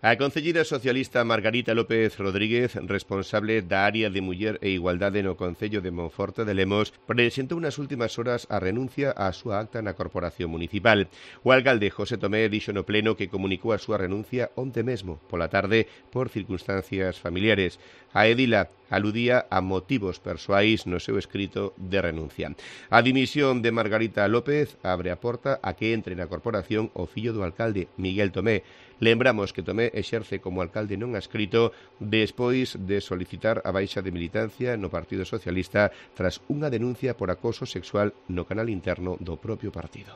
A concelleira socialista Margarita López Rodríguez, responsable da área de Muller e Igualdade no Concello de Monforte de Lemos, presentou nas últimas horas a renuncia á súa acta na Corporación Municipal. O alcalde José Tomé dixo no pleno que comunicou a súa renuncia onte mesmo, pola tarde, por circunstancias familiares. A edila aludía a motivos persoais no seu escrito de renuncia. A dimisión de Margarita López abre a porta a que entre na corporación o fillo do alcalde, Miguel Tomé. Lembramos que Tomé exerce como alcalde non adscrito despois de solicitar a baixa de militancia no Partido Socialista tras unha denuncia por acoso sexual no canal interno do propio partido.